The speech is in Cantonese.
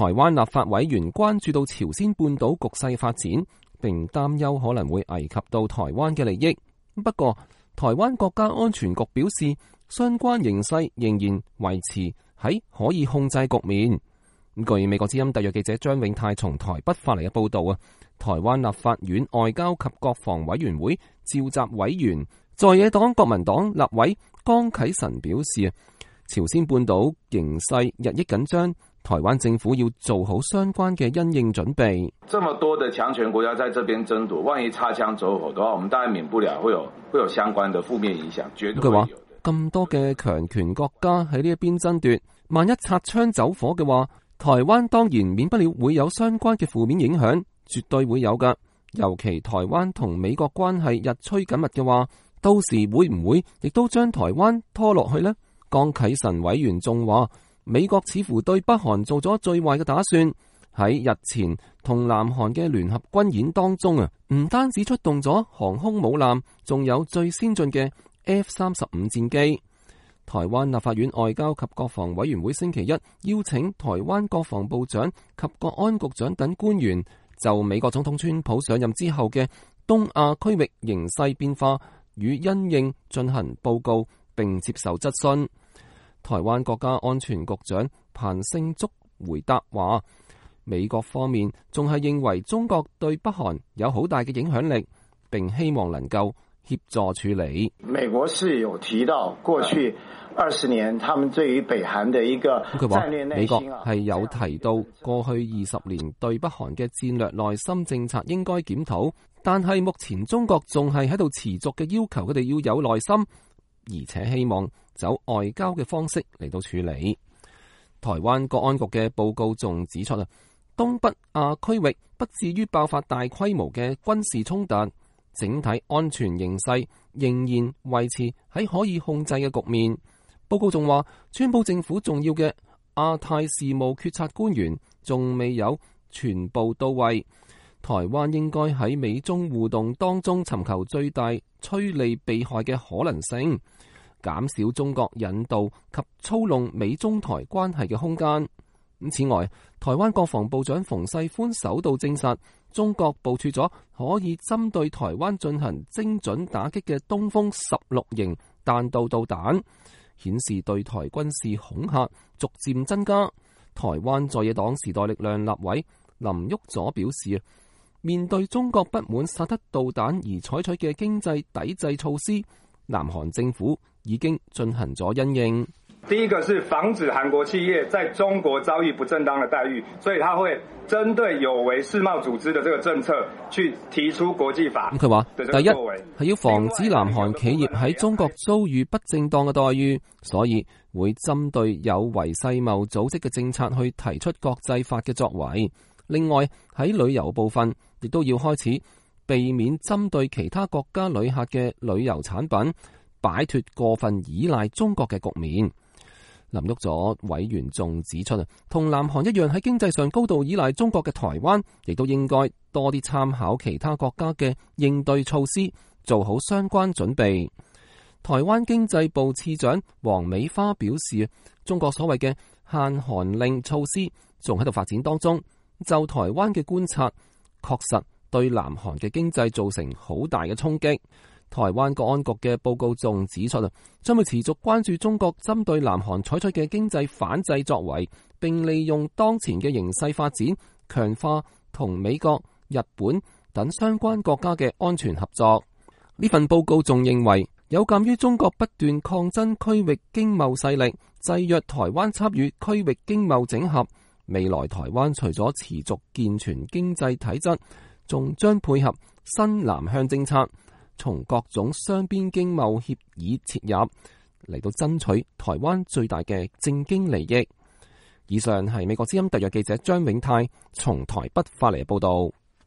台灣立法委員關注到朝鮮半島局勢發展，並擔憂可能會危及到台灣嘅利益。不過，台灣國家安全局表示，相關形勢仍然維持喺可以控制局面。據美國之音特約記者張永泰從台北發嚟嘅報道啊，台灣立法院外交及國防委員會召集委員在野黨國民黨立委江啟臣表示，朝鮮半島形勢日益緊張，台灣政府要做好相關嘅因應準備。這麼多的強權國家在這邊爭奪，萬一擦槍走火的話，我們當然免不了會有相關的負面影響，絕對會有的。咁多嘅強權國家喺呢一邊爭奪，萬一擦槍走火嘅話，台灣當然免不了會有相關嘅負面影響，絕對會有㗎。尤其台灣同美國關係日趨緊密嘅話，到時會唔會亦都將台灣拖落去呢？江啟臣委員仲話，美國似乎對北韓做咗最壞嘅打算，喺日前同南韓嘅聯合軍演當中啊，唔單止出動咗航空母艦，仲有最先進嘅 F-35戰機。台灣立法院外交及國防委員會星期一邀請台灣國防部長及國安局長等官員就美國總統川普上任之後嘅東亞區域形勢變化與因應進行報告並接受質詢。台灣國家安全局長彭勝竹回答話，美國方面仲係認為中國對北韓有好大嘅影響力，並希望能夠協助處理。美國是有提到過去20年，他們對於北韓的一個戰略內心，美國係有提到過去20年對北韓嘅戰略內心政策應該檢討，但係目前中國仲係喺度持續嘅要求佢哋要有耐心，而且希望走外交嘅方式嚟到處理。台灣國安局嘅報告仲指出啊，東北亞區域不至於爆發大規模嘅軍事衝突，整體安全形勢仍然維持喺可以控制嘅局面。報告仲話，川普政府重要嘅亞太事務決策官員仲未有全部到位，台灣應該喺美中互動當中尋求最大趨利避害嘅可能性，減少中國引導及操弄美中台關係嘅空間。此外，台灣國防部長馮世寬首度證實，中國部署咗可以針對台灣進行精準打擊嘅東風16型彈道導彈，顯示對台軍事恐嚇逐漸增加。台灣在野黨時代力量立委林旭佐表示，面對中國不滿薩德導彈而採取嘅經濟抵制措施，南韓政府已經進行咗因應。第一個是防止韓國企業在中國遭遇不正當的待遇，所以他會針對有違世貿組織的這個政策去提出國際法。佢話，第一係要防止南韓企業喺中國遭遇不正當嘅待遇，所以會針對有違世貿組織嘅政策去提出國際法嘅作為。另外喺旅遊部分，亦都要開始避免針對其他國家旅客嘅旅遊產品，擺脫過分依賴中國嘅局面。林旭佐委員仲指出，同南韓一樣喺經濟上高度依賴中國嘅台灣，亦都應該多啲參考其他國家嘅應對措施，做好相關準備。台灣經濟部次長黃美花表示，中國所謂嘅限韓令措施仲喺度發展當中，就台灣嘅觀察，確實對南韓嘅經濟造成好大嘅衝擊。台灣國安局嘅報告仲指出，將會持續關注中國針對南韓採取嘅經濟反制作為，並利用當前嘅形勢發展，強化同美國、日本等相關國家嘅安全合作。呢份報告仲認為，有鑒於中國不斷擴增區域經貿勢力，制約台灣參與區域經貿整合，未來台灣除咗持續健全經濟體質，仲將配合新南向政策，從各種雙邊經貿協議切入，嚟到爭取台灣最大嘅政經利益。以上係美國之音特約記者張永泰從台北發嚟嘅報道。